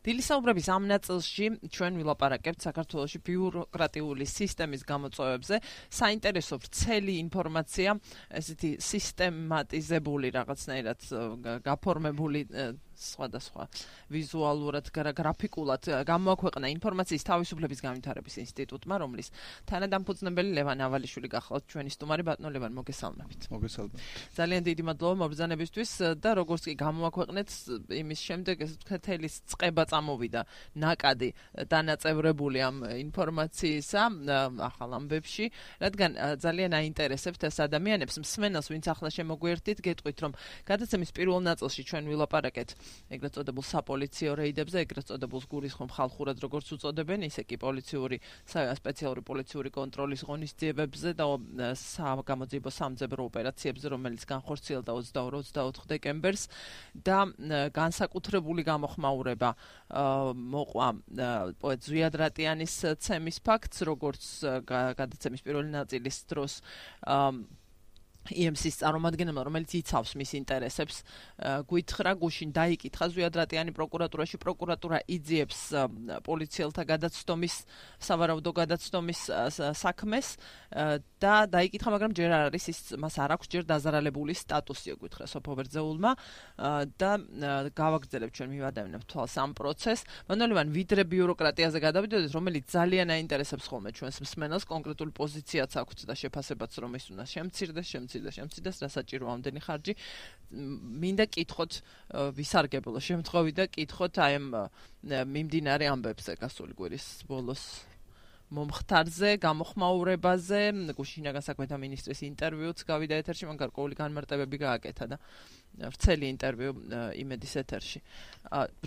დილისაუბრების ამ ნაწილში ჩვენ ვილაპარაკებთ საქართველოში ბიუროკრატიული სისტემის გამოწვევებზე. საინტერესო ვრცელი ინფორმაცია, ესეთი სისტემატიზებული რაღაცნაირად გაფორმებული სხვადასხვა ვიზუალურად, გრაფიკულად გამოაქვეყნა ინფორმაციის თავისუფლების განვითარების ინსტიტუტმა, რომლის თანადამფუძნებელი ლევან ავალიშვილი გახლავთ ჩვენი სტუმარი. ბატონო ლევან, მოგესალმებით. მოგესალმებით. ძალიან დიდი მადლობა მობრძანებისთვის და როგორც კი გამოაქვეყნეთ იმის შემდეგ ეს თელის წყება წამოვიდა ნაკადი დანაწევრებული ამ ინფორმაციისა ახალ ამბებში, რადგან ძალიან აინტერესებთ ეს ადამიანებს, მსმენელს, ვინც ახლა შემოგვიერთდით, გეტყვით, რომ გადაცემის პირველ ნაწილში ჩვენ ვილაპარაკეთ ეგრეთ წოდებულ sapolicio რეიდებზე, ეგრეთ წოდებულ გულისხმობ ხალხურად როგორც უწოდებენ, ისე კი პოლიციური, სპეციალური პოლიციური კონტროლის ღონისძიებებზე და გამოძიებო სამძებრო ოპერაციებზე, რომელიც განხორციელდა 22-24 დეკემბერს და განსაკუთრებული გამოხმაურება მოყვა პოეტ ზვიად რატიანის ცემის ფაქტს, როგორც გადაცემის პირველი ნაწილის დროს EMC-ის წარმომადგენელმა, რომელიც იცავს მის ინტერესებს, გვითხრა, გუშინ დაიკითხა ზვიად რატიანი პროკურატურაში, პროკურატურა იძიებს პოლიციელთა გადაცდომის, სავარაუდო გადაცდომის საქმეს და დაიკითხა, მაგრამ ჯერ არ არის ის, მას არ აქვს ჯერ დაზარალებული სტატუსი, გვითხრა სოფო ბერძეულმა და გავაგრძელებთ ჩვენ მივადევნებთ თვალს ამ პროცესს. მანოლევან ვიდრე ბიუროკრატიაზე გადავიდოდეთ, რომელიც ძალიან აინტერესებს ხოლმე ჩვენს მსმენელს, კონკრეტული პოზიციაც აქვს და შეფასებაც რომ ის უნდა შემცირდეს, რა საჭირო ამდენი ხარჯი. მინდა კითხოთ ვისარგებლო შემთხვევით და კითხოთ აი ამ მიმდინარე ამბებზე გასული კვირის ბოლოს მომხდარზე, გამოხმაურებაზე, გუშინაგან საქმეთა მინისტრის ინტერვიუც გავიდა ეთერში, მან გარკვეული განმარტებები გააკეთა და ვრცელი ინტერვიუ იმედის ეთერში.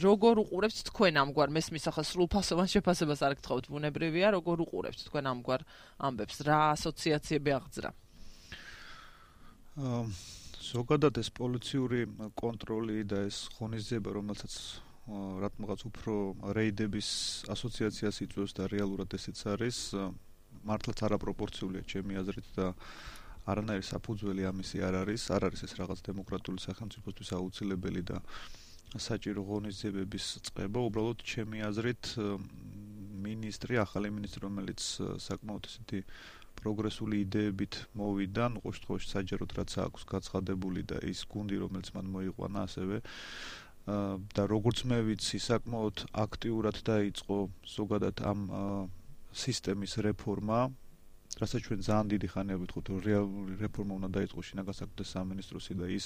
როგორ უყურებთ თქვენ ამგვარ მესმის ახლა სრულფასოვან შეფასებას არ გთხოვთ, ბუნებრივია, როგორ უყურებთ თქვენ ამგვარ ამბებს, რა ასოციაციები აღძრა? ზოგადად ეს პოლიციური კონტროლი და ეს ღონისძიება, რომელსაც რატომღაც უფრო რეიდების ასოციაციას იწვევს და რეალურად ესეც არის, მართლაც არაპროპორციულია ჩემი აზრით და არანაირი საფუძველი ამისი არ არის ეს რაღაც დემოკრატიული სახელმწიფოსთვის აუცილებელი და საჭირო ღონისძიებების წყება. უბრალოდ ჩემი აზრით ახალი მინისტრი, რომელიც საკმაოდ ესეთი პროგრესული იდეებით მოვიდა, ყოველ შემთხვევაში საჯაროდ რაც აქვს გაცხადებული და ის გუნდი, რომელიც მან მოიყვანა ასევე და როგორც მე ვიცი, საკმაოდ აქტიურად დაიწყო ზოგადად ამ სისტემის რეფორმა, რასაც ჩვენ ძალიან დიდი ხანია ვიტყვით, რომ რეალური რეფორმა უნდა დაიწყოს შინაგან საქმეთა სამინისტროსი და ის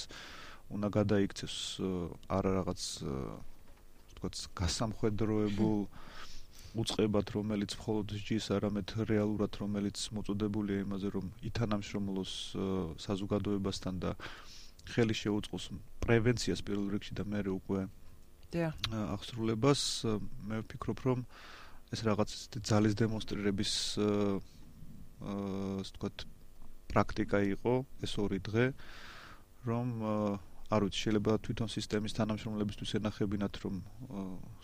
უნდა გადაიქცეს არა რაღაც ვთქვათ გასამხედროებულ უწყებად, რომელიც მხოლოდ სჯის, არამედ რეალურად, რომელიც მოწოდებულია იმაზე, რომ ითანამშრომლოს საზოგადოებასთან და ხელი შეუწყოს პრევენციას პირველ რიგში და მერე უკვე აღსრულებას. მე ვფიქრობ, რომ ეს რაღაც ძალის დემონსტრირების ვთქვათ პრაქტიკა იყო ეს 2 დღე, რომ არ ვიცი, შეიძლება თვითონ სისტემის თანამშრომლებისთვის ენახებინათ, რომ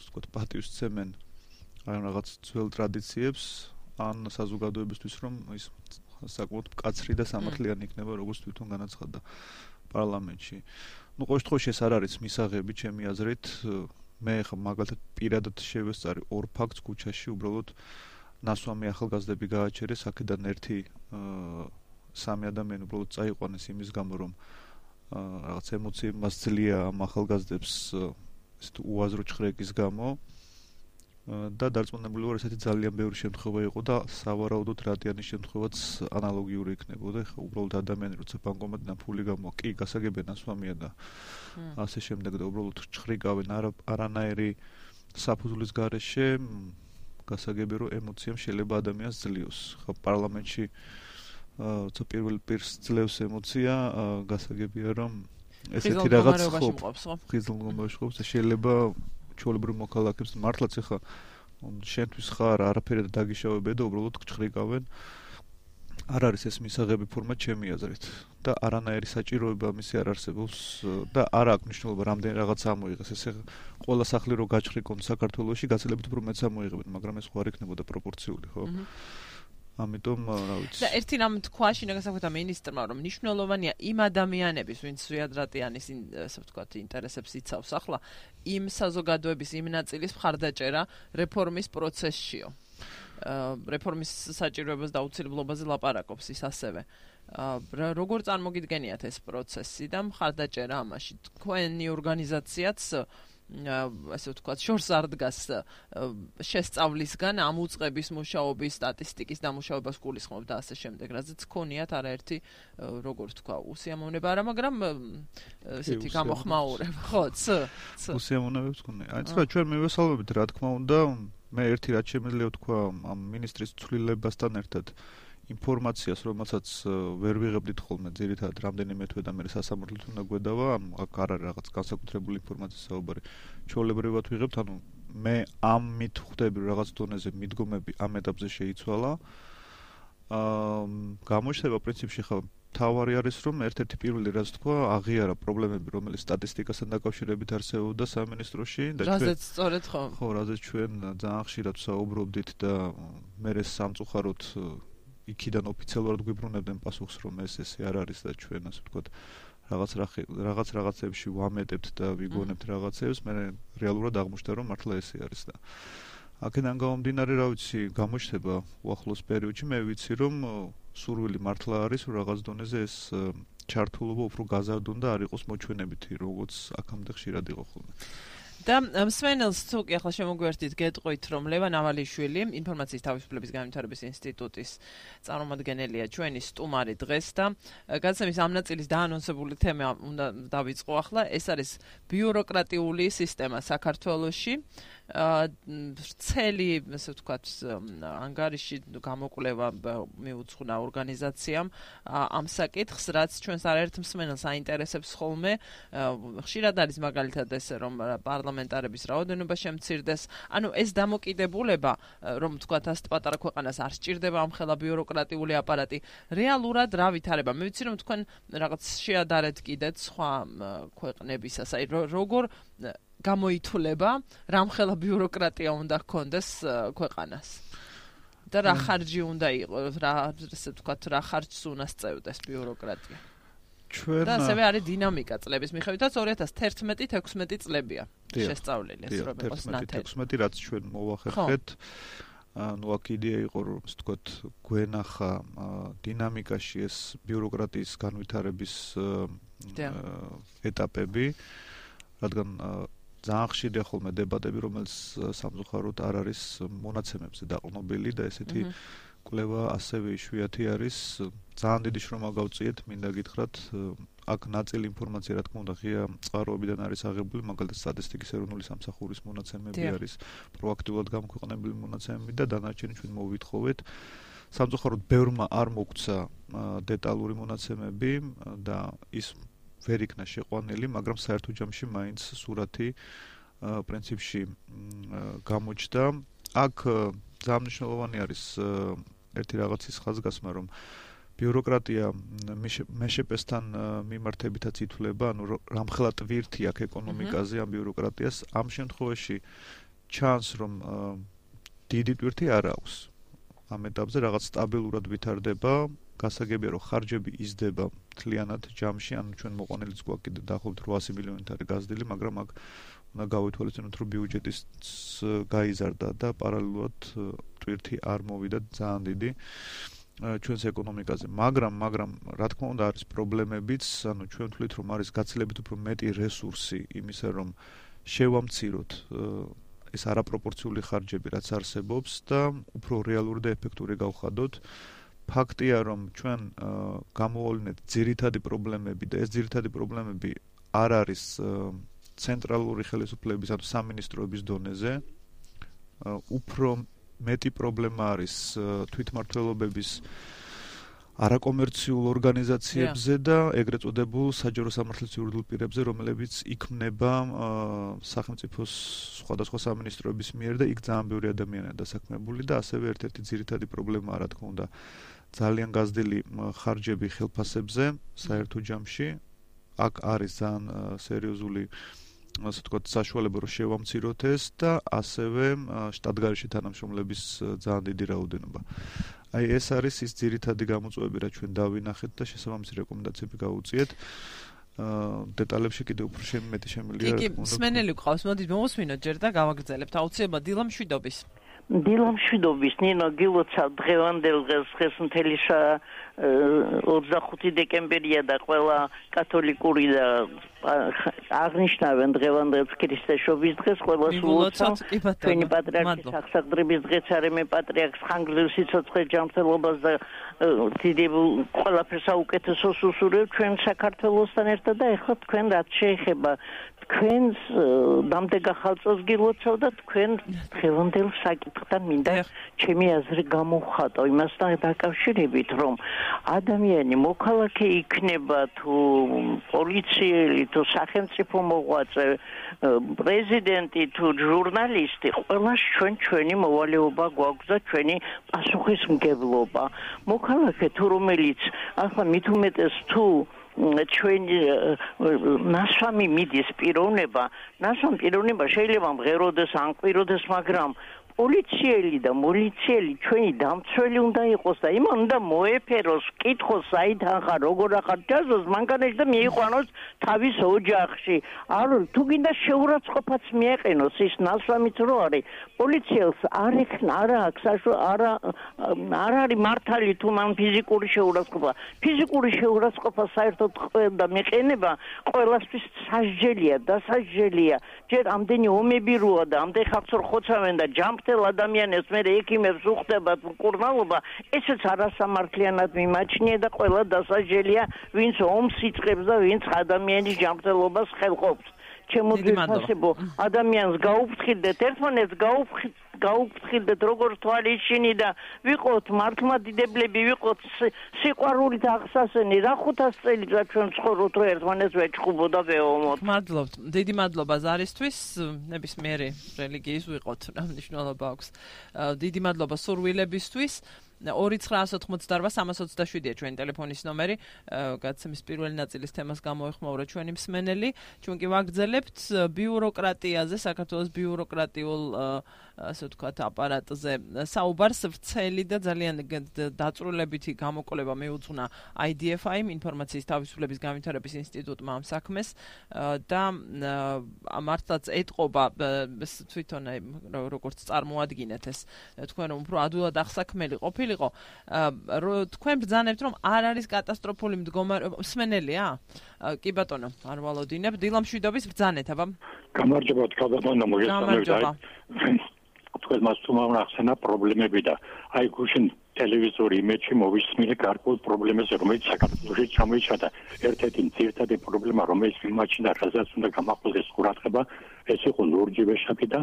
ვთქვათ პატივს სცემენ აი რაღაც ძველ ტრადიციებს, ან საზოგადოებისთვის, რომ ის საკმაოდ მკაცრი და სამართლიანი იქნება, როგორც თვითონ განაცხადა პარლამენტში. ყოველ შემთხვევაში ეს არ არის მისაღები ჩემი აზრით. მე ხა მაგალითად პირადად შევესწარი 2 ფაქტს ქუჩაში, უბრალოდ ნასვამი ახალგაზრდები გააჩერეს, აქედან 1-3 ადამიანი უბრალოდ წაიყვანეს იმის გამო, რომ რაღაც ემოციები მას ძლია ამ ახალგაზრდებს ესეთ უაზრო ჩხრეკის გამო. და დარწმუნებული ვარ, ესეთი ძალიან ბევრი შემთხვევა იყო და სავარაუდოდ რატიანის შემთხვევაც ანალოგიური იქნებოდა. ხა უბრალოდ ადამიანი როცა ბანკომატიდან ფული გამო, კი გასაგებია ნასვამია და ასე შემდეგ და უბრალოდ ჩხრიკავენ არანაირი საფუძვლის გარეშე, გასაგებია რომ ემოციამ შეიძლება ადამიანს ძლიოს. ხა პარლამენტში როცა პირველ პირს ძლევს ემოცია, გასაგებია რომ ესეთი რაღაც ხიზილ მდგომარეობაში ყოფს და შეიძლება ჩვეულებრივ მოქალაქებს მართლაც ახლა შენთვის ხარ არაფერი დაგიშავებია და უბრალოდ ჩხრიკავენ. არ არის ეს მისაღები ფორმა ჩემი აზრით და არანაირი საჭიროება მისი არ არსებობს და არ აქვს მნიშვნელობა რამდენი რაღაც ამოიღეს. ესე ყველა სახლი რო გაჩხრიკონ საქართველოში, გაცილებით უფრო მეც ამოიღებენ, მაგრამ ეს ხო არ იქნებოდა პროპორციული, ხო? ამიტომ რა ვიცი. და ერთი რამ თქვა შინაგანსაკუთრებთა მინისტრმა, რომ მნიშვნელოვანია იმ ადამიანების, ვინც ზვიადრატიანის ასე ვთქვათ, ინტერესებს იცავს ახლა, იმ საზოგადოების იმ ნაწილის მხარდაჭერა რეფორმის პროცესშიო. რეფორმის საჭიროებას და აუცილებლობაზე ლაპარაკობს ის ასევე. როგორ წარმოგიდგენიათ ეს პროცესი და მხარდაჭერა ამაში? თქვენი ორგანიზაციაც ასე ვთქვათ, შორს არ დგას შესწავლისგან ამ უწყების მუშაობის სტატისტიკის დამუშავებას გულისხმობ და ასე შემდეგ, რაზეც გქონიათ არაერთი როგორ ვთქვა, უსიამოვნება არა, მაგრამ ესეთი გამოხმაურება, ხო, უსიამოვნებებს გქონია. აი, ცოტა ჩვენ მივესალმებით, რა თქმა უნდა, მე ერთი რაც შემიძლია ვთქვა ამ ministris ცვლილებასთან ერთად ინფორმაციას, რომელსაც ვერ ვიღებდით ხოლმე ძირითადად რამდენიმე თვე და მე სასამართლოდ უნდა გვედავა, აქ არ არის რაღაც განსაკუთრებული ინფორმაციის საუბარი. ჩვეულებრივად ვიღებთ, ანუ მე ამით ხვდები რაღაც დონეზე მიდგომები ამ ეტაპზე შეიცვალა. გამოჩნდება პრინციპში ხა თავარი არის, რომ ერთ-ერთი პირველი რაც თქვა, აღიარა პრობლემები, რომელიც სტატისტიკასთან დაკავშირებით არსებობდა სამინისტროში და ჩვენ რაზეც სწორედ ხო. ხო, რაზეც ჩვენ ძალიან ხშირად ვსაუბრობდით და მე სამწუხაროდ იქიდან ოფიციალურად გვიბრუნებდნენ პასუხს, რომ ესე არ არის და ჩვენ ასე ვთქვათ, რაღაცებში ვამეტებთ და ვიგონებთ რაღაცებს, მე რეალურად აღმოჩნდა, რომ მართლა ესე არის და აქედან გამომდინარე, რა ვიცი, გამოჩნდება უახლოს პერიოდში, მე ვიცი, რომ სურვილი მართლა არის, რომ რაღაც დონეზე ეს ჩართულობა უფრო გაზარდონ და არ იყოს მოჩვენებითი, როგორც აქამდე ხშირად იყო ხოლმე. და მსმენელს თუ კი ახლა შემოგვერთით გეტყვით, რომ ლევან ავალიშვილი ინფორმაციის თავისუფლების განვითარების ინსტიტუტის წარმომადგენელია ჩვენი სტუმარი დღეს და გადაცემის ამ ნაწილის დაანონსებული თემა უნდა დავიწყო ახლა, ეს არის ბიუროკრატიული სისტემა საქართველოში. ვრცელი, ასე ვთქვათ, ანგარიში გამოკვლევა მიუძღვნა ორგანიზაციამ ამ საკითხს, რაც ჩვენს არაერთ მსმენელს აინტერესებს ხოლმე. ხშირად არის მაგალითად ესე, რომ პარლამენტარების რაოდენობა შემცირდეს. ანუ ეს დამოკიდებულება, რომ ვთქვათ, ასეთ პატარა ქვეყანას არ სჭირდება ამხელა ბიუროკრატიული აპარატი, რეალურად რა ვითარება? მე ვიცი, რომ თქვენ რაღაც შეადარეთ კიდეც სხვა ქვეყნებისას, აი როგორ გამოითვლება, რამხელა ბიუროკრატია უნდა ჰქონდეს ქვეყანას. და რა ხარჯი უნდა იყოს, ასე ვთქვათ, რა ხარჯს უნდა სწევდეს ბიუროკრატია. და ასევე არის დინამიკა წლების მიხედვითაც 2011-16 წლებია შესწავლილი, ეს რომ იყოს ნათელი. 16 რაც ჩვენ მოვახერხეთ, ანუ აქ იდეა იყო, რომ ასე ვთქვათ, გვენახა დინამიკაში ეს ბიუროკრატიის განვითარების ეტაპები, რადგან ძალიან ხშირია ხოლმე დებატები, რომელიც სამწუხაროდ არ არის მონაცემებზე დაყრდნობილი და ესეთი კვლევა ასევე იშვიათი არის. ძალიან დიდი შრომა გავწიეთ, მინდა გითხრათ, აქ ნაწილი ინფორმაცია, რა თქმა უნდა, ღია წყაროებიდან არის აღებული, მაგალითად სტატისტიკის ეროვნული სამსახურის მონაცემები არის, პროაქტიულად გამოქვეყნებული მონაცემები და დანარჩენი ჩვენ მოვვითხოვეთ. სამწუხაროდ ბევრმა არ მოგცა დეტალური მონაცემები და ის ვერ იქნა შეყვანილი, მაგრამ საერთო ჯამში მაინც სურათი პრინციპში გამოჩნდა. აქ ძალიან მნიშვნელოვანი არის ერთი რაღაცის ხაზგასმა, რომ ბიუროკრატია მეშეპესთან მიმართებითაც ითვლება, ანუ რამხელა ტვირთი აქ ეკონომიკაზე ამ ბიუროკრატიას, ამ შემთხვევაში ჩანს, რომ დიდი ტვირთი არ აქვს. ამ ეტაპზე რაღაც სტაბილურად ვითარდება, გასაგებია, რომ ხარჯები იზრდება მთლიანად ჯამში, ანუ ჩვენ მოყვანილიც გვაქვს კიდე დაახლოებით 800 მილიონით არის გაზრდილი, მაგრამ აქ უნდა გავითვალისწინოთ, რომ ბიუჯეტის გაიზარდა და პარალელურად ტვირთი არ მოვიდა ძალიან დიდი ჩვენს ეკონომიკაზე, მაგრამ რა თქმა უნდა არის პრობლემებიც, ანუ ჩვენ ვთვლით, რომ არის გაცილებით უფრო მეტი რესურსი იმისა, რომ შევამციროთ ეს არაპროპორციული ხარჯები, რაც არსებობს და უფრო რეალური და ეფექტური გავხადოთ. ფაქტია, რომ ჩვენ გამოვავლინეთ ძირითადი პრობლემები და ეს ძირითადი პრობლემები არ არის ცენტრალური ხელისუფლების, ანუ სამინისტროების დონეზე. უფრო მეტი პრობლემა არის თვითმმართველობების არაკომერციულ ორგანიზაციებზე და ეგრეთ წოდებულ საჯარო სამართლის იურიდიულ პირებზე, რომლებიც იქმნება სახელმწიფოს სხვადასხვა სამინისტროების მიერ და იქ ძალიან ბევრი ადამიანია დასაქმებული და ასევე ერთ-ერთი ძირითადი პრობლემაა, რა თქმა უნდა, ძალიან გაზრდილი ხარჯები ხელფასებზე საერთო ჯამში. აქ არის ძალიან სერიოზული ასე ვთქვათ, საშუალება რომ შევამციროთ ეს და ასევე შტატგარეშე თანამშრომლების ძალიან დიდი რაოდენობა. აი ეს არის ის ძირითადი გამოწვევები, რაც ჩვენ დავინახეთ და შესაბამისი რეკომენდაციები გავუწიეთ. დეტალებში კიდევ უფრო მეტი შემიძლია. კი, მსმენელი გვყავს, მოდით მომუსმინოთ ჯერ და გავაგრძელებთ. აუცილებლად დილა მშვიდობის. დილა მშვიდობის, ნინო, გილოცავ დღევანდელ დღეს მთელი 25 დეკემბერია და ყველა კათოლიკური და აღნიშნავენ დღევანდელ ქრისტეშობის დღეს, ყველა სულოცავ ჩვენი პატრიარქის აღსაყდრების დღეც არემე პატრიარქს ხანგრძლივ სიცოცხლე ჯანმრთელობას და დიდებულ ყველაფერს საუკეთესოს უსურვებ ჩვენ საქართველოსთან ერთად და ეხლა თქვენ რაც შეეხება თქვენს დამდეგ ახალწელს გილოცავ და თქვენ დღევანდელ საკითხთან მინდა ჩემი აზრი გამოვხატო იმასთან დაკავშირებით რომ ადამიანი მოქალაქე იქნება თუ პოლიციელი თუ სახელმწიფო მოღვაწე პრეზიდენტი თუ ჟურნალისტი ყველას ჩვენი მოვალეობა გვაქვს და ჩვენი პასუხისმგებლობა მოქალაქე თუ რომელიც ახლა მით უმეტეს თუ ჩვენი ნასვამი მიდის პიროვნება შეიძლება მღეროდეს ან ყვიროდეს მაგრამ პოლიციელი და მოლიციელი ჩვენი დამცველი უნდა იყოს და იმან უნდა მოეფეროს კითხოს საიდან ხარ როგორ ახარ ჯაზოს მანქანაში და მიიყვანოს თავის ოჯახში არ თუ გინდა შეურაცხყოფაც მიეყენოს ის ნასვამიც რო არის პოლიციელს არ არის მართალი თუ მან ფიზიკური შეურაცხყოფა საერთოდ და მეყენება ყველასთვის სასჯელია დასასჯელია ჯერ ამდენი ომები როა და ამდენ ხალხს რო ხოცავენ და ადამიანებს მე ექიმებს უხდებათ მკურნალობა ესეც არასამართლიანად მიმაჩნია და ყველა დასაჯელია ვინც ომს იწყებს და ვინც ადამიანის ჯანმრთელობას ხელყოფს ჩემოგვიფასებო ადამიანს გაუფრთხილდეთ ერთმანეთს გაუფრთხილდეთ როგორც თვალიშინი და ვიყოთ მართლმადიდებლები ვიყოთ სიყვარულით აღსასენი რა 500 წელიწად ჩვენ ცხოვრობთ რომ ერთმანეთს ვეჭხუბო და ვეომოთ მადლობთ დიდი მადლობა ზარისთვის ნებისმიერი რელიგიის ვიყოთ რა მნიშვნელობა აქვს დიდი მადლობა სურვილებისთვის 2988327-ია ჩვენი ტელეფონის ნომერი. გადაცემის პირველი ნაწილის თემას გამოეხმაურა ჩვენი მსმენელი. ჩვენ კი ვაგრძელებთ ბიუროკრატიაზე, საქართველოს ბიუროკრატიულ ასე ვთქვათ აპარატზე საუბარს ვრცელი და ძალიან დაწვრილებითი გამოკვლევა მიუძღვნა IDFI-მ ინფორმაციის თავისუფლების განვითარების ინსტიტუტმა ამ საქმეს და მართლაც ეტყობა თვითონ როგორც წარმოადგინეთ ეს თქვენ რომ უფრო ადვილად აღსაქმელი ყოფილიყო თქვენ ბრძანებთ რომ არ არის კატასტროფული მდგომარეობა მსმენელია კი ბატონო არ ვალოდინებ დილა მშვიდობის ბრძანეთ აბა გამარჯობა თქვენ მოგესალმებით თქვენ მას თუმამახსენა პრობლემები და აი გუშინ ტელევიზორი იმედში მოვისმინე გარკვეულ პრობლემებზე რომელიც საქართველოში ჩამოიჩადა ერთ-ერთი ძირითადი პრობლემა რომელიც მიმაჩნდა რაზეც უნდა გამაყოლდეს ყურადღება ეს იყო ლურჯი ვეშაპი და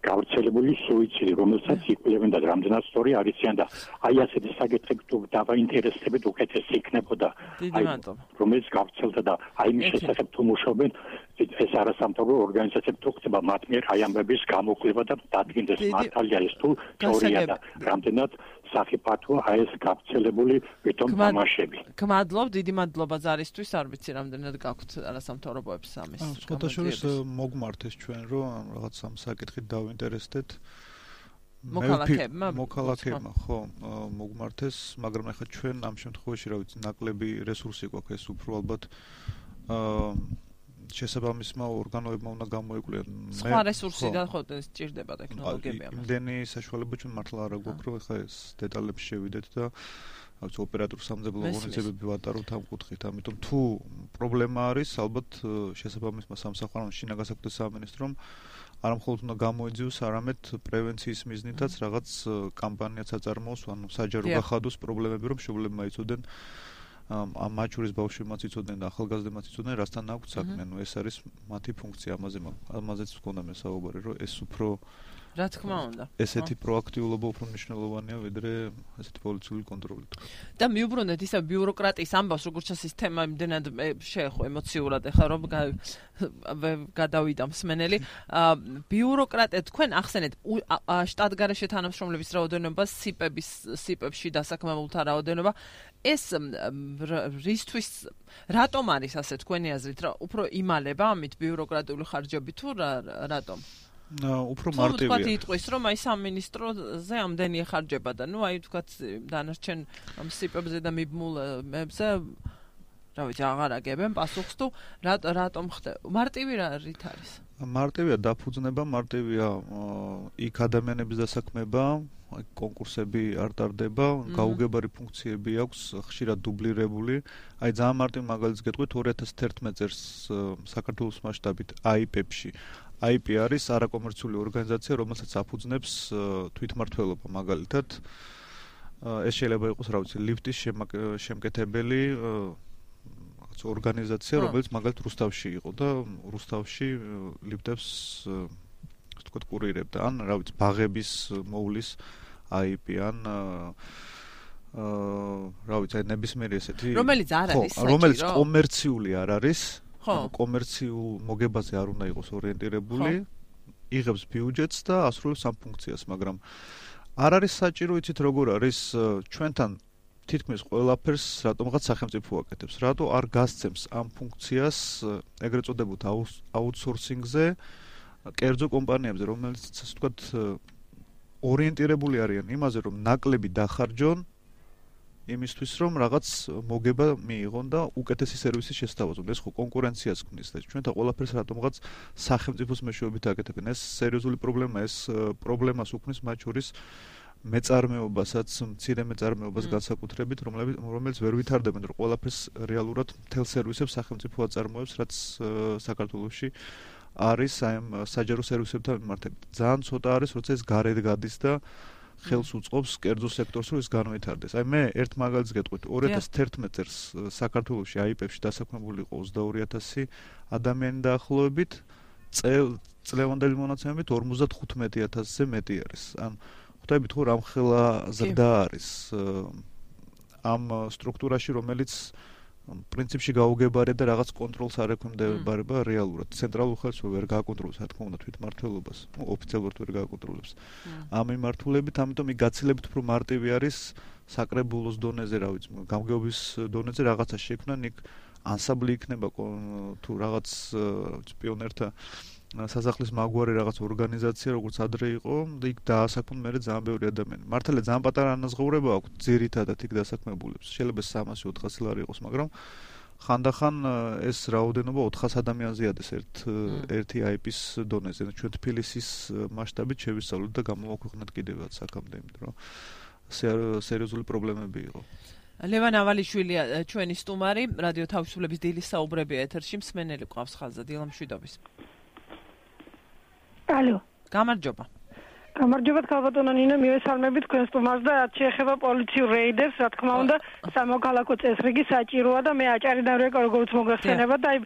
გავრცელებული სუიციდი რომელსაც იკვლევენ და რამდენად სწორი არიციან და აი ასეთი საკითხები თუ დავაინტერესდებით უკეთესი იქნებოდა აი რომელიც გავრცელდა და აი მის შესახებ თუ მუშაობენ ეს არასამთავრობო ორგანიზაციები თუ ხდება მათ მიერ აი ამბების გამოკვლევა და დადგენდეს მართალია ეს თუ სწორია და რამდენად საფათოა აი ეს გავრცელებული ვითომ თამაშები გმადლობ დიდი მადლობა ზარისთვის არ ვიცი რამდენად გაქვთ არასამთავრობოებს ამის სხვადასხვა მოგმართეს ჩვენ რომ რაღაც ამ საკითხით დავინტერესდეთ მოქალაქეებმა ხო მოგმართეს მაგრამ ახლა ჩვენ ამ შემთხვევაში რა ვიცი ნაკლები რესურსი გვაქვს ეს უფრო ალბათ შესაბამისმა ორგანოებმა უნდა გამოიკვლიოთ სხვა რესურსი და ხო სჭირდება ტექნოლოგიები ამას იმდენი საშუალება ჩვენ მართლა არ გვაქვს რომ ახლა ეს დეტალებში შევიდეთ და აქვს ოპერატორ სამძებლო ღონისძიებები ვატაროთ ამ კუთხით ამიტომ თუ პრობლემა არის ალბათ შესაბამისმა სამსახურმა შინაგან საქმეთა სამინისტრომ არა მხოლოდ უნდა გამოიძიოს არამედ პრევენციის მიზნითაც რაღაც კამპანიაც აწარმოოს ანუ საჯარო გახადოს პრობლემები რომ შეულებმა იცოდნენ ამ მაჩურის ბავშვებმაც იცოდნენ და ახალგაზრდებმაც იცოდნენ რასთან აქვს საქმე. ეს არის მათი ფუნქცია, ამაზეც ვქონდა მე საუბარი, რომ ეს უფრო რა თქმა უნდა. ესეთი პროაქტიულობა უფრო მნიშვნელოვანია ვიდრე ესეთი პოლიციური კონტროლი. და მიუბრუნდეთ ისა ბიუროკრატიის ამბავს, როგორც ეს თემა იმდენად შეეხო ემოციურად ახლა რომ გადავიდა მსმენელი. ბიუროკრატია თქვენ ახსენეთ შტატგარეშე თანამშრომლების რაოდენობა, სიპებში დასაქმებულთა რაოდენობა. ეს რისთვის რატომ არის ასე თქვენი აზრით, რა უფრო იმალება ამით ბიუროკრატიული ხარჯები თუ რატომ? უფრო მარტივია. თქვათ იტყვის რომ აი სამინისტროზე ამდენი ეხარჯება და ნუ აი თქვათ დანარჩენ სიპებზე და მიბმულებზე რა ვიცი აღარ აგებენ პასუხს თუ რატომ ხდება? მარტივი რით არის? მარტივია დაფუძნება, მარტივია იქ ადამიანების დასაქმება, კონკურსები არ ტარდება, გაუგებარი ფუნქციები აქვს, ხშირად დუბლირებული. აი ძალიან მარტივ მაგალითს გეტყვით 2011 წელს საქართველოს მასშტაბით AIP-ში. AIP არის არაკომერციული ორგანიზაცია, რომელსაც აფუძნებს თვითმმართველობა მაგალითად. ეს შეიძლება იყოს, რა ვიცი, ლიფტის შემკეთებელი ორგანიზაცია, რომელიც მაგალითად რუსთავში იყო და რუსთავში ლიფტებს ასე ვთქვათ კურირებდა, ან რა ვიცი, ბაღების მოვლის AIP ან რა ვიცი, აი ნებისმიერი ესეთი რომელიც არ არის საჭირო, რომელიც კომერციული არ არის, კომერციულ მოგებაზე არ უნდა იყოს ორიენტირებული, იღებს ბიუჯეტს და ასრულებს ამ ფუნქციას, მაგრამ არ არის საჭირო, იცით როგორ არის ჩვენთან თითქმის ყველაფერს რატომღაც სახელმწიფო აკეთებს. რატო არ გასცემს ამ ფუნქციას ეგრეთ წოდებულ აუთსორსინგზე კერძო კომპანიებზე, რომელიც ასე ვთქვათ ორიენტირებული არიან იმაზე, რომ ნაკლები დახარჯონ იმისთვის, რომ რაღაც მოგება მიიღონ და უკეთესი სერვისი შესთავაზონ. ეს ხო კონკურენციას ქმნის და ჩვენთან ყველაფერს რატომღაც სახელმწიფოს მეშვეობით აკეთებენ. ეს სერიოზული პრობლემაა, ეს პრობლემას უქმნის მათ შორის მეწარმეობასაც, მცირე მეწარმეობას განსაკუთრებით, რომელიც ვერ ვითარდებენ, რომ ყველაფერს რეალურად მთელ სერვისებს სახელმწიფო აწარმოებს, რაც საქართველოში არის აი ამ საჯარო სერვისებთან მიმართებით. ძალიან ცოტა არის, როცა ეს გარეთ გადის და ხელს უწყობს კერძო სექტორს, რომ ეს განვითარდეს. აი მე ერთ მაგალითს გეტყვით, 2011 წელს საქართველოში AIP-ში დასაქმებული იყო 22000 ადამიანი დაახლოებით, წლევანდელი მონაცემებით 55000-ზე მეტი არის. ან ხვდებით ხო რამხელა ზრდა არის ამ სტრუქტურაში, რომელიც პრინციპში გაუგებარია და რაღაც კონტროლს არ ექვემდებარება რეალურად. ცენტრალურ ხელს ვერ გააკონტროლებს, რა თქმა უნდა, თვითმმართველობას, ოფიციალურად ვერ გააკონტროლებს. ამ მიმართულებით, ამიტომ იქ გაცილებით უფრო მარტივი არის საკრებულოს დონეზე, რა ვიცი, გამგეობის დონეზე რაღაცა შექმნან, იქ ანსამბლი იქნება თუ რაღაც პიონერთა სასახლის მაგვარი რაღაც ორგანიზაცია, როგორც ადრე იყო, და იქ დაასაქმონ მე ძალიან ბევრი ადამიანი. მართალია ძალიან პატარა ანაზღაურება აქვს ძირითადად იქ დასაქმებულებს. შეიძლება 300-400 ლარი იყოს, მაგრამ ხანდახან ეს რაოდენობა 400 ადამიანზე ადეს ერთი AIP-ის დონეზე. ჩვენ თბილისის მასშტაბით შევისწავლეთ და გამოვაქვეყნეთ კიდევაც აქამდე, იმიტომ რომ სერიოზული პრობლემები იყო. ლევან ავალიშვილია ჩვენი სტუმარი, რადიო თავისუფლების დილის საუბრები ეთერში, მსმენელი ყავს ხაზზე, დილა მშვიდობის. ალო. გამარჯობა. გამარჯობა ქალბატონო ნინო, მივესალმებით თქვენ სტუმარს და რაც შეეხება პოლიციურ რეიდერს, რა თქმა უნდა, სამოქალაქო წესრიგი საჭიროა და მე აჭარიდან როგორც მოგახსენება და აი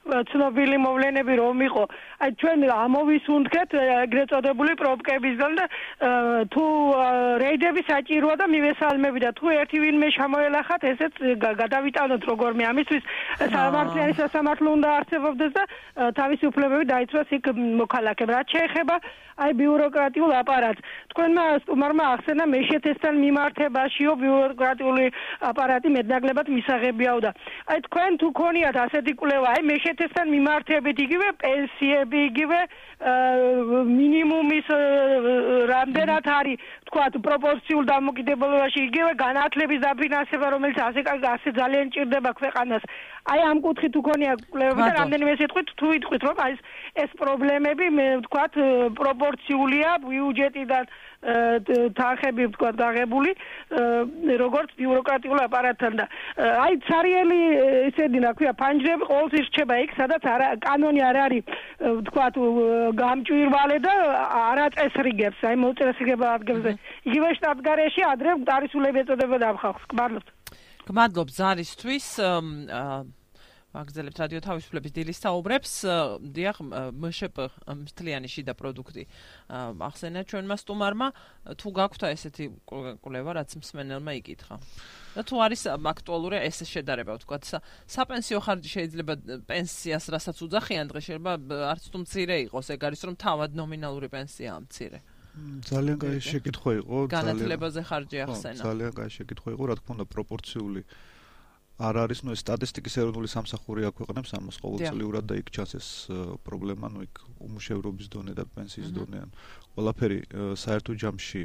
ცნობილი მოვლენები რომ იყო. აი ჩვენ ამოვისუნთქეთ ეგრეთ წოდებული პრობკებისგან და თუ რეიდები საჭიროა და მივესალმები და თუ ერთი ვინმე შემოელახათ, ესეც გადავიტანოთ როგორმე. ამისთვის სამართლიანი სასამართლო უნდა არსებობდეს და თავისი უფლებები დაიცვას იქ მოქალაქემ. რაც შეეხება აი ბიუროკრატიულ აპარატს. თქვენმა სტუმარმა ახსენა მეშეთესთან მიმართებაშიო ბიუროკრატიული აპარატი მეტნაკლებად მისაღებიაო და აი თქვენ თუ ქონიათ ასეთი კვლევა, აი მეშეთესთან მიმართებით იგივე პენსიები, იგივე მინიმუმის რამდენად არის თქვათ პროპორციულ დამოკიდებულებაში, იგივე განათლების დაფინანსება, რომელიც ასე ძალიან ჭირდება ქვეყანას. აი ამ კუთხით თუ ქონია კვლევები და რამდენიმე სიტყვით თუ იტყვით რომ აი ეს პრობლემები მე ვთქვათ პროპორციულია ბიუჯეტიდან თანხები ვთქვათ დაღებული როგორც ბიუროკრატიულ აპარატთან და აი ცარიელი ისედი რა ქვია ფანჯრები ყოველთვის რჩება იქ სადაც კანონი არ არის ვთქვათ გამჭვირვალე და არაწესრიგებს აი მოწესრიგება ადგილზე იგივე შტატგარეში ადრე ტარისულები ეწოდებოდა ამ ხალხს. გმადლობთ. გმადლობ ზარისთვის ვაგრძელებთ რადიო თავისუფლების დილის საუბრებს. დიახ, მშპ მთლიანი შიდა პროდუქტი ახსენა ჩვენმა სტუმარმა. თუ გაქვთ ესეთი კვლევა, რაც მსმენელმა იკითხა. და თუ არის აქტუალური ეს შედარება, ვთქვათ, საპენსიო ხარჯი შეიძლება პენსიას რასაც უძახიან დღეს შეიძლება არც თუ მცირე იყოს, ეგ არის რომ თავად ნომინალური პენსიაა მცირე. ძალიან კაი შეკითხვა იყო, განათლებაზე ხარჯი ახსენა. ძალიან კაი შეკითხვა იყო, რა თქმა უნდა, პროპორციული არ არის, ეს სტატისტიკის ეროვნული სამსახური აქვეყნებს ამას ყოველწლიურად და იქ ჩანს ეს პრობლემა, იქ უმუშევრობის დონე და პენსიის დონე, ყველაფერი საერთო ჯამში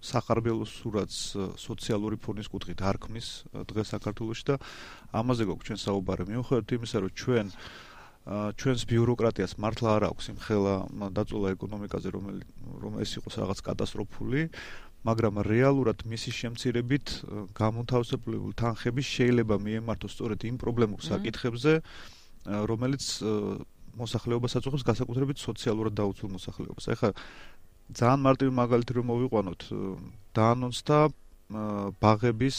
სახარბელოს სურათს სოციალური ფონის კუთხით არ ქმნის დღეს საქართველოში და ამაზე გვაქვს ჩვენ საუბარი. მიუხედავად იმისა, რომ ჩვენს ბიუროკრატიას მართლა არ აქვს იმხელა დაწოლა ეკონომიკაზე, რომ ეს იყოს რაღაც კატასტროფული, მაგრამ რეალურად მისი შემცირებით გამოთავისუფლებული თანხები შეიძლება მიემართოს სწორედ იმ პრობლემურ საკითხებზე, რომელიც მოსახლეობას აწუხებს, განსაკუთრებით სოციალურად დაუცველ მოსახლეობას. ეხლა ძალიან მარტივი მაგალითი რომ მოვიყვანოთ, დაანონსდა ბაღების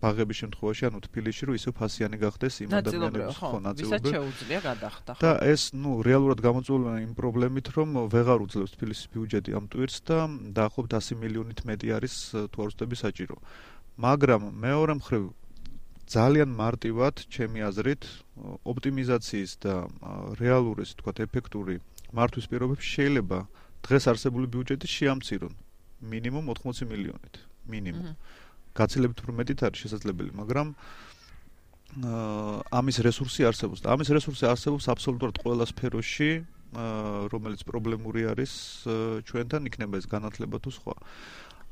შემთხვევაში, თბილისში რომ ისე ფასიანი გახდეს იმ ადამიანების ვისაც შეუძლია გადახდა. და ეს რეალურად გამოწვეულია იმ პრობლემით, რომ ვეღარ უძლებს თბილისის ბიუჯეტი ამ ტვირთს და დაახლოებით 100 მილიონით მეტი არის თუ არ ვცდები საჭირო. მაგრამ მეორე მხრივ ძალიან მარტივად, ჩემი აზრით, ოპტიმიზაციის და რეალური, ასე ვთქვათ, ეფექტური მართვის პირობებში შეიძლება დღეს არსებული ბიუჯეტი შეამცირონ მინიმუმ 80 მილიონით, მინიმუმ. გაცილებით უფრო მეტით არის შესაძლებელი, მაგრამ ამის რესურსი არსებობს და ამის რესურსი არსებობს აბსოლუტურად ყველა სფეროში, რომელიც პრობლემური არის ჩვენთან, იქნება ეს განათლება თუ სხვა.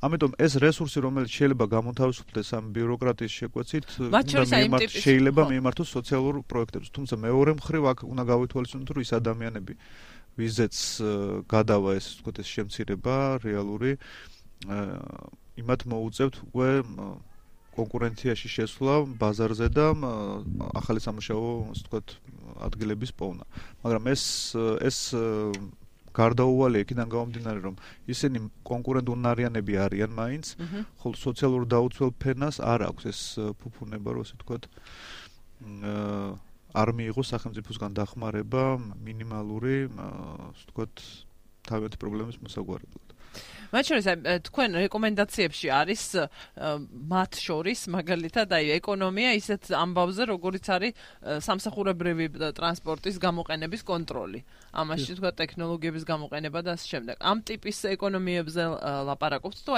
ამიტომ ეს რესურსი, რომელიც შეიძლება გამოთავისუფლდეს ამ ბიუროკრატიის შეკვეცით, შეიძლება მიემართოს სოციალურ პროექტებს. თუმცა მეორე მხრივ აქ უნდა გავითვალისწინოთ, რომ ის ადამიანები, ვიზეც გადავა ეს ვთქვათ ეს შემცირება რეალური, იმათ მოუწევთ უკვე კონკურენციაში შესვლა ბაზარზე და ახალი სამუშაო, ასე ვთქვათ, ადგილების პოვნა. მაგრამ ეს გარდაუვალე იქიდან გამომდინარე, რომ ისინი კონკურენტუნარიანები არიან მაინც, ხოლო სოციალურ დაუცველ ფენას არ აქვს ეს ფუფუნება, რომ ასე ვთქვათ, არ მიიღოს სახელმწიფოსგან დახმარება მინიმალური, ასე ვთქვათ, თავიანთი პრობლემის მოსაგვარებლად. მათ შორის თქვენ რეკომენდაციებში არის მათ შორის მაგალითად ეკონომია ისეთ ამბავზე, როგორიც არის სამსახურებრივი ტრანსპორტის გამოყენების კონტროლი. ამაში თქვა ტექნოლოგიების გამოყენება და ასე შემდეგ. ამ ტიპის ეკონომიებზე ლაპარაკობთ თუ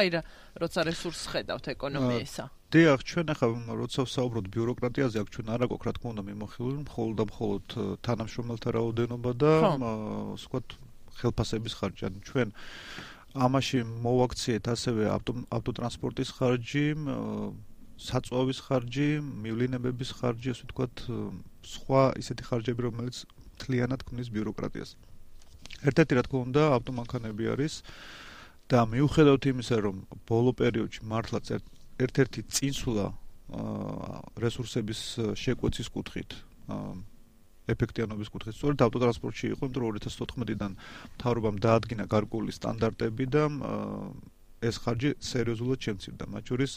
როცა რესურსს ხედავთ ეკონომიისა? დიახ, ჩვენ ახლა როცა ვსაუბრობთ ბიუროკრატიაზე, აქ ჩვენ არ აქვს რა თქმა უნდა მიმოხილული მხოლოდ და მხოლოდ თანამშრომელთა რაოდენობა და ასე ვთქვათ ხელფასების ხარჯი. ჩვენ ამაში მოვაქციეთ ასევე ავტოტრანსპორტის ხარჯი, საწვავის ხარჯი, მივლინებების ხარჯი, ასე ვთქვათ, სხვა ისეთი ხარჯები, რომელიც მთლიანად ქმნის ბიუროკრატიას. ერთ-ერთი რა თქმა უნდა ავტომანქანები არის და მიუხედავად იმისა, რომ ბოლო პერიოდში მართლაც ერთ-ერთი წინსვლა რესურსების შეკვეცის კუთხით, ეფექტიანობის კუთხით, სწორედ ავტოტრანსპორტში იყო, იმიტომ რომ 2014-დან მთავრობამ დაადგინა გარკვეული სტანდარტები და ეს ხარჯი სერიოზულად შემცირდა. მათ შორის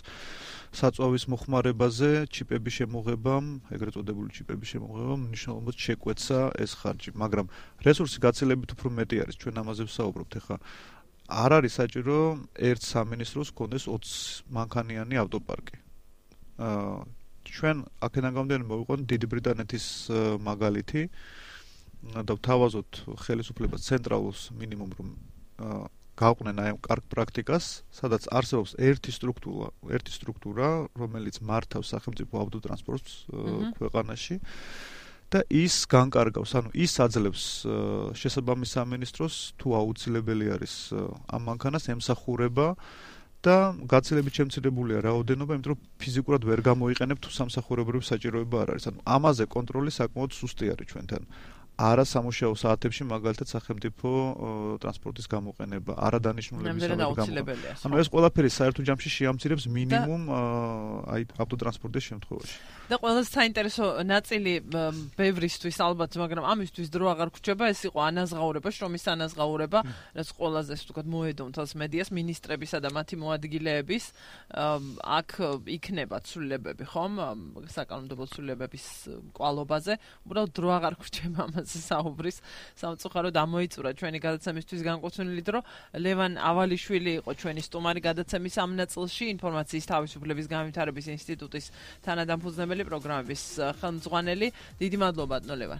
საწვავის მოხმარებაზე, ჩიპების შემოღებამ, ეგრეთ წოდებული ჩიპების შემოღებამ მნიშვნელოვნად შეკვეცა ეს ხარჯი, მაგრამ რესურსი გაცილებით უფრო მეტი არის. ჩვენ ამაზე ვსაუბრობთ ახლა. არ არის საჭირო ერთ სამინისტროს ჰქონდეს 20 მანქანიანი ავტოპარკი. ჩვენ აქედან გამომდინარე მოვიყვანოთ დიდი ბრიტანეთის მაგალითი და ვთავაზოთ ხელისუფლებას ცენტრალურს მინიმუმ რომ გააყვნენ აი ამ კარგ პრაქტიკას, სადაც არსებობს ერთი სტრუქტურა, რომელიც მართავს სახელმწიფო ავტოტრანსპორტს ქვეყანაში და ის განკარგავს, ანუ ის აძლევს შესაბამის სამინისტროს თუ აუცილებელი არის ამ მანქანას ემსახურება და გაცილებით შემცირებულია რაოდენობა, იმიტომ რომ ფიზიკურად ვერ გამოიყენებ თუ სამსახურებრივი საჭიროება არ არის. ანუ ამაზე კონტროლი საკმაოდ სუსტი არის ჩვენთან. არასამუშაო საათებში მაგალითად სახელმწიფო ტრანსპორტის გამოყენება, არადანიშნულების გამოყენება. ანუ ეს ყველაფერი საერთო ჯამში შეამცირებს მინიმუმ აი ავტოტრანსპორტის შემთხვევაში. და ყველაზე საინტერესო ნაწილი ბევრისთვის ალბათ, მაგრამ ამისთვის დრო აღარ გვჭირდება, ეს იყო ანაზღაურება, შრომის ანაზღაურება, რაც ყველაზე ვთქვათ მოედონთავს მედიას, მინისტრებისა და მათი მოადგილეების აქ იქნება ცვლილებები, ხომ? საკანონმდებლო ცვლილებების კვალობაზე, უბრალოდ დრო აღარ გვჭირდება ამაზე საუბრის. სამწუხაროდ ამოიწურა ჩვენი გადაცემისთვის განკუთვნილი დრო. ლევან ავალიშვილი იყო ჩვენი სტუმარი გადაცემის ამ ნაწილში, ინფორმაციის თავისუფლების განვითარების ინსტიტუტის თანადამფუძნებელი პროგრამების ხელმძღვანელი. დიდი მადლობა, ლევან.